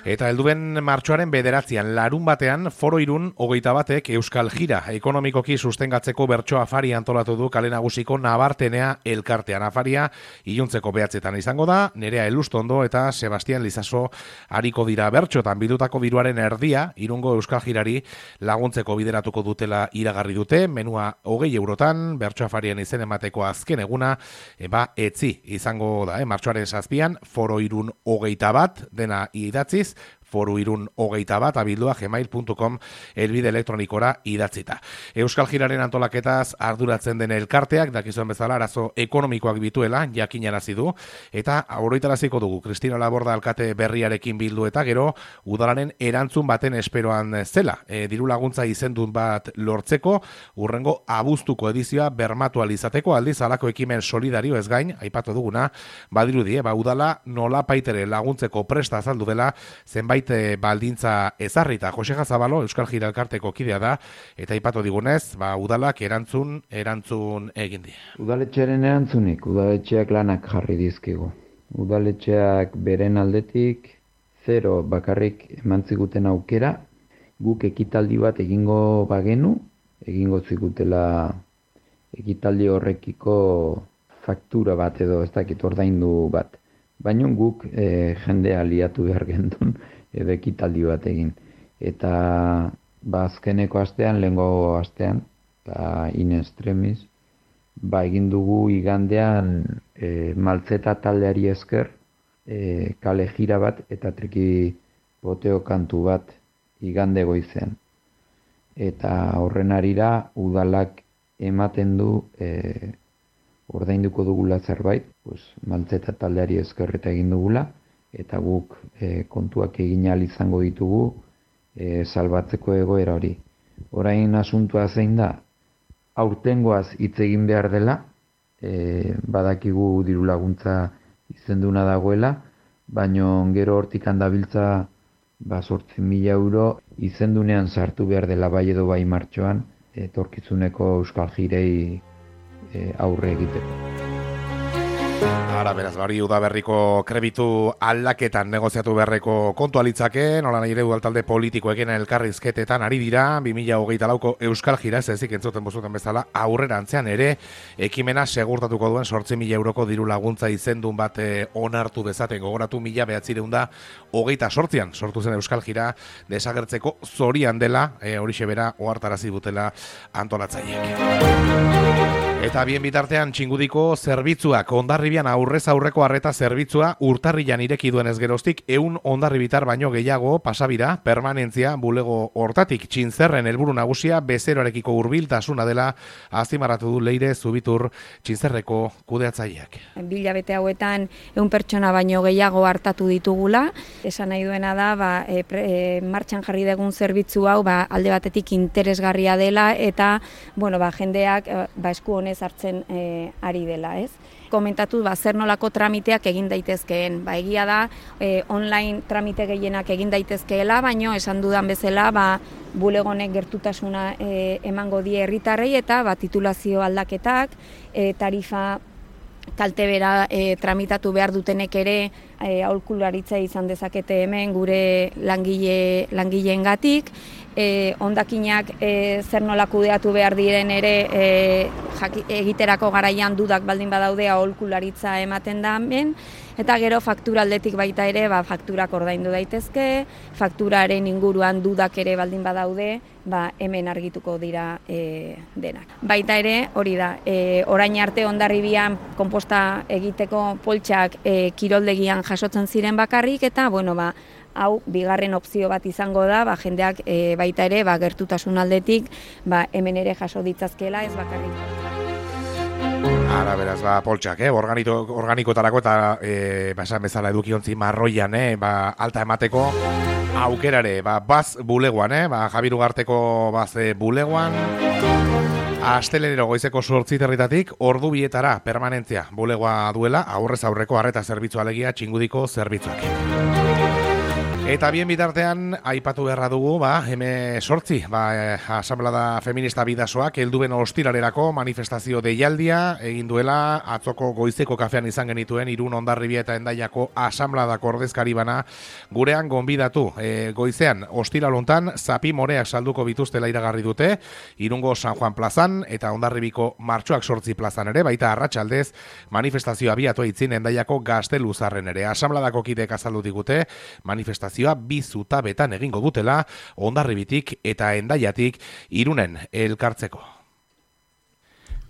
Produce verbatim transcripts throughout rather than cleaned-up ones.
Eta helduen martxoaren bederatzian, larun batean, Foro Irun hogeita batek Euskal Jira ekonomikoki sustengatzeko bertso afari antolatu du Kale Nagusiko Nabartenea elkartean. Afaria iluntzeko behatzetan izango da, Nerea Elustondo eta Sebastian Lizaso ariko dira bertxotan bildutako diruaren erdia, Irungo Euskal Jirari laguntzeko bideratuko dutela iragarri dute, menua hogei eurotan, bertso afarian izen emateko azken eguna, eba etzi izango da, eh? Martxoaren zazpian, Foro Irun hogeita bat, dena idatziz, Foru Irun hogeita bat, abildua gmail puntu com elbide elektronikora idatzita. Euskal Jiraren antolaketaz arduratzen den elkarteak, dakizuen bezala arazo ekonomikoak bituela, jakinarazi du, eta oroitaraziko dugu, Kristina Laborda alkate berriarekin bildu eta gero, udalaren erantzun baten esperoan zela. E, diru laguntza izendun bat lortzeko, urrengo abuztuko edizioa bermatu alizateko, aldiz alako ekimen solidario ez gain, aipatu duguna, badirudi, ba, udala nola paitere laguntzeko presta azaldu dela, zenbait baldintza ezarrita. Jose Gazabalo, Euskal Jira elkarteko kidea da, eta aipatu digunez, ba, udalak erantzun, erantzun egin die. Udaletxearen erantzunik, udaletxeak lanak jarri dizkigu. Udaletxeak beren aldetik, zero bakarrik eman ziguten aukera, guk ekitaldi bat egingo bagenu, egingo zigutela ekitaldi horrekiko faktura bat edo ez dakit ordaindu bat. Baina guk e, jendea liatu behar gendun, edo ekitaldi bat egin. Eta ba, azkeneko astean, lehengo astean, ba, in extremis, ba, egin dugu igandean e, maltzeta taldeari esker, e, kale jira bat eta triki poteo kantu bat igande goizean. Eta horren arira udalak ematen du e, ordainduko dugula zerbait, pues, maltzeta taldeari esker eta egin dugula, eta guk e, kontuak egin ahal izango ditugu e, salbatzeko egoera hori. Orain asuntua zein da, aurtengoaz hitz egin behar dela, e, badakigu diru laguntza izenduna dagoela, baino gero hortik handabiltza ba, zortzi mila euro izendunean sartu behar dela bai edo bai martxoan, etorkizuneko Euskal Jirei e, aurre egiteko. Ara, beraz, bari udaberriko krebitu aldaketan negoziatu beharreko kontu alitzake, nola nahi ere udaltalde politikoekin elkarrizketetan ari dira, bi mila hogeita lauko Euskal Jira, ez ezik entzuten bozuten bezala, aurrera antzean ere, ekimena segurtatuko duen sortzi mila euroko diru laguntza izendun bat eh, onartu dezaten, gogoratu mila behatzireun da, hogeita sortzian sortu zen Euskal Jira, desagertzeko zorian dela, eh, horixe bera, ohartarazi dutela antolatzaileek. Eta bien bitartean txingudiko zerbitzuak, Hondarribian aurrez aurreko arreta zerbitzua urtarrilan ireki duen ez geroztik, ehun hondarribitar baino gehiago pasabira, permanentzia bulego hortatik Txintzerren helburu nagusia bezeroarekiko hurbiltasuna dela azpimarratu du Leire Zubitur Txintzerreko kudeatzaileak. Bilabete hauetan ehun pertsona baino gehiago hartatu ditugula, esan nahi duena da, ba, e, pre, e, martxan jarri dugun zerbitzu hau ba, alde batetik interesgarria dela eta bueno, ba, jendeak ba, esku honez hartzen e, ari dela, ez? Komentatu ba, zer nolako tramiteak egin daitezkeen. Ba, egia da, e, online tramite gehienak egin daitezkeela, baino esan dudan bezala, ba, bulegonek gertutasuna e, emango die herritarrei eta ba, titulazio aldaketak, e, tarifa kaltebera e, tramitatu behar dutenek ere e, aholkularitza izan dezakete hemen gure langile langileengatik. E, hondakinak e, zer nola kudeatu behar diren ere e, jaki, egiterako garaian dudak baldin badaude aholkularitza ematen da hemen. Eta gero faktura aldetik baita ere, ba, fakturak ordaindu daitezke, fakturaren inguruan dudak ere baldin badaude, ba, hemen argituko dira e, denak. Baita ere, hori da, e, orain arte Hondarribian konposta egiteko poltsak e, kiroldegian jasotzen ziren bakarrik, eta, bueno, ba, hau bigarren opzio bat izango da, ba, jendeak e, baita ere, ba, gertutasun aldetik, ba, hemen ere jaso ditzazkela, ez bakarrik. Ara, beraz, ba, poltsak, eh? Organito, organikotarako eta e, ba, esan bezala edukiontzi marroian, eh? Ba, alta emateko aukerare, ba, baz bulegoan, eh? Ba, Javier Ugarteko baz e, bulegoan, astelenero goizeko sortzi territatik, ordu bietara permanentzia bulegoa duela, aurrez aurreko arreta zerbitzu alegia txingudiko zerbitzuak. Eta bien bitartean, aipatu beharra dugu, ba, heme sortzi, ba, asamblada feminista bidasoak, helduen ostiralerako manifestazio deialdia, egin duela, atzoko goizeko kafean izan genituen, Irun, Hondarribia eta Hendaiako asambladako ordezkari bana gurean gonbidatu. E, goizean, ostiral hontan, zapi moreak salduko bituztela iragarri dute, Irungo San Juan plazan, eta Hondarribiko martxoak sortzi plazan ere, baita arratsaldez manifestazioa abiatu aitzin Hendaiako Gazteluzarren ere. Asambladako kidek azaldu digute, manifestazio bi zutabetan egingo dutela, Hondarribitik eta Hendaiatik Irunen elkartzeko.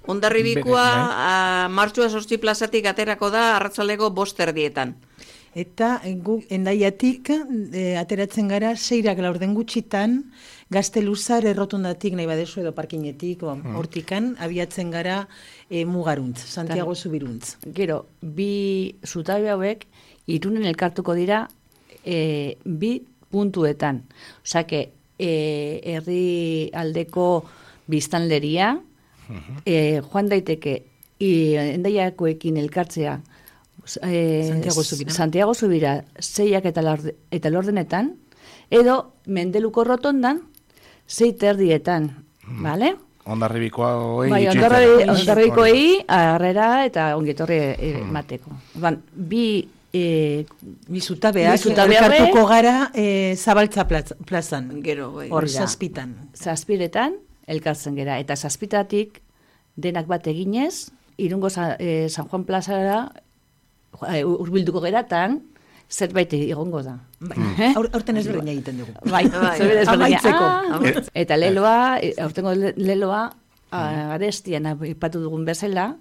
Hondarribikoa martxua sortzi plazatik aterako da arratsaldeko bost erdietan. Eta gu Hendaiatik e, ateratzen gara seirak laurden gutxitan, Gazteluzar errotondatik nahi badezu edo parkinetik, hmm. hortikan, abiatzen gara e, mugaruntz, Santiago Zubiruntz. Gero, bi zutabe hauek Irunen elkartuko dira E, bi puntuetan. Osake, e, herri aldeko biztanleria, uh-huh. e, joan daiteke Hendaiakoekin elkartzea e, Santiago Zubira, Santiago Zubira zeiak eta, lorde, eta lordenetan, edo Mendeluko rotondan zei terdietan, uh-huh. Bale? Hondarribikoei bai, Hondarribikoei harrera eta ongetorri emateko. Uh-huh. Ban, bi E, bizutabeak elkartuko gara e, Zabaltza plazan, gero, hor zazpitan. Zazpiretan elkartzen gera, eta zazpitatik denak bat eginez, Irungo San, e, San Juan plazara e, urbilduko geratan, zerbait egongo da. Bai. Mm. Aur, aurten ez berdina egiten dugu. Bai, amaitzeko. Ah, eta leloa, aurtengo leloa, mm. arestian aipatu dugun bezala,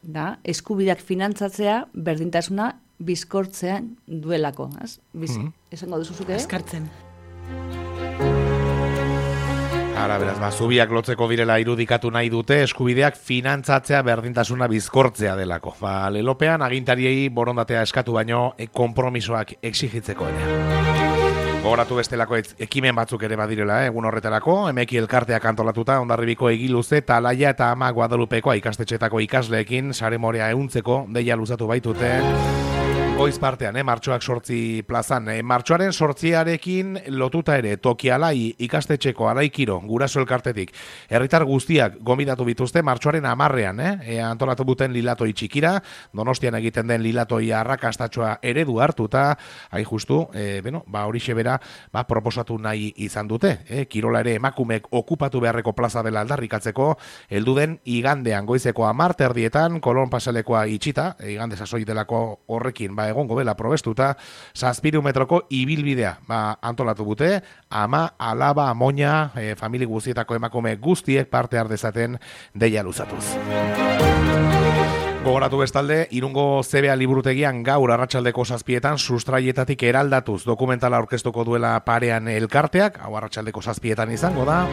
da, eskubideak finantzatzea berdintasuna bizkortzean duelako. Biz, mm-hmm. Esango duzuzuke? Eskartzen. Ara, beraz, ba, zubiak lotzeko direla irudikatu nahi dute, eskubideak finantzatzea berdintasuna bizkortzea delako. Ba, lelopean agintariei borondatea eskatu baino konpromisoak exigitzeko ere. Gogoratu bestelako ekimen batzuk ere badirela, eh? Egun horretarako, emeki elkarteak antolatuta, Hondarribiko Egiluze, Talaia eta Ama Guadalupekoa ikastetxetako ikasleekin, sare morea ehuntzeko, deia luzatu baitute. Goiz partean, eh, martxoak sortzi plazan. Eh, martxoaren sortziarekin lotuta ere Tokialai ikastetxeko Araikiro guraso elkartetik. Herritar guztiak gonbidatu bituzte martxoaren hamarrean, eh, e, antolatu duten lilatoi txikira, Donostian egiten den lilatoi arrakastatxoa eredu hartuta, hain justu, eh, beno, ba horixe bera, ba proposatu nahi izan dute, eh, kirola ere emakumek okupatu beharreko plaza dela aldarrikatzeko, heldu den igandean goizeko hamar erdietan, Kolon pasalekoa itxita, e, igande sasoi delako horrekin, ba egongo bela probestuta, zazpiru metroko ibilbidea ba, antolatu dute, ama, alaba, amoina, e, famili guztietako emakume guztiek parte har dezaten deia luzatuz. Gogoratu bestalde, Irungo Z B A liburutegian gaur arratsaldeko zazpietan sustraietatik eraldatuz dokumentala aurkeztuko duela parean elkarteak, hau arratsaldeko zazpietan izango da.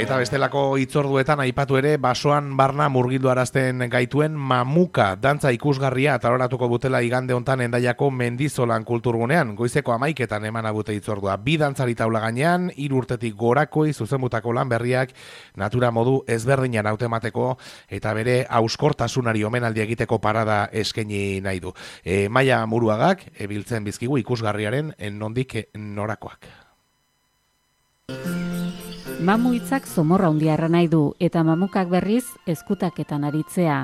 Eta bestelako hitzorduetan aipatu ere basoan barna murgildu arazten gaituen mamuka dantza ikusgarria taloratuko dutela igande hontan Hendaiako Mendizolan kulturgunean. Goizeko hamaiketan eman abute hitzordua. Bi dantzari taula gainean, hiru urtetik gorakoi zuzenbutako lan berriak natura modu ezberdinan hautemateko eta bere hauskortasunari omenaldi egiteko parada eskaini nahi du. E, Maia Muruagak ebiltzen bizkigu ikusgarriaren nondik norakoak. Mamu hitzak zomorra hundiarra nahi du, eta mamukak berriz ezkutaketan aritzea.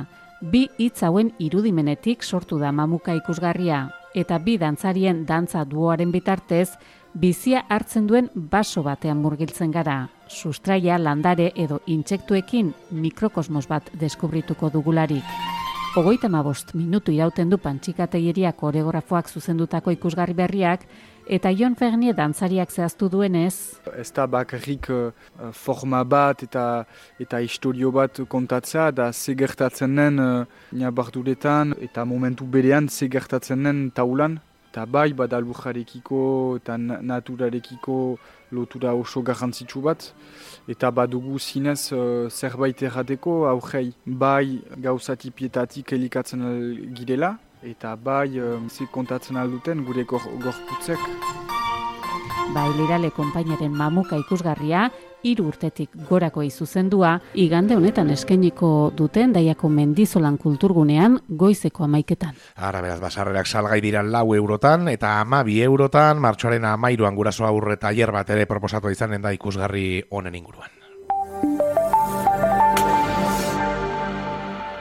Bi hitz hauen irudimenetik sortu da mamuka ikusgarria, eta bi dantzarien dantza duoaren bitartez, bizia hartzen duen baso batean murgiltzen gara. Sustraia, landare edo intsektuekin mikrokosmos bat deskubrituko dugularik. Hogeita hamabost minutu irauten du Pantxikategiria koreografoak zuzendutako ikusgarri berriak, eta Jon Fernier dantzariak zehaztu duenez. Ez da bakarrik uh, forma bat eta eta historio bat kontatzea, da ze gertatzen den uh, nabarduretan eta momentu berean ze gertatzen den taulan. Eta bai, bada lujarekiko eta naturarekiko lotura oso garrantzitsu bat. Eta badugu zinez uh, zerbait errateko aurrei. Bai gauzatipietatik elikatzen girela. Eta bai, uh, ze kontatzen alduten gure gorputzek. Bailirale konpainaren mamuka ikusgarria, hiru urtetik gorako izuzendua, igande honetan eskainiko duten Daiako Mendizolan kulturgunean goizeko amaiketan. Ara beraz, basarrerak salgai dira lau eurotan eta hamabi eurotan, martxoaren hamairuan guraso aurre tailer bat ere proposatua izanen da ikusgarri honen inguruan.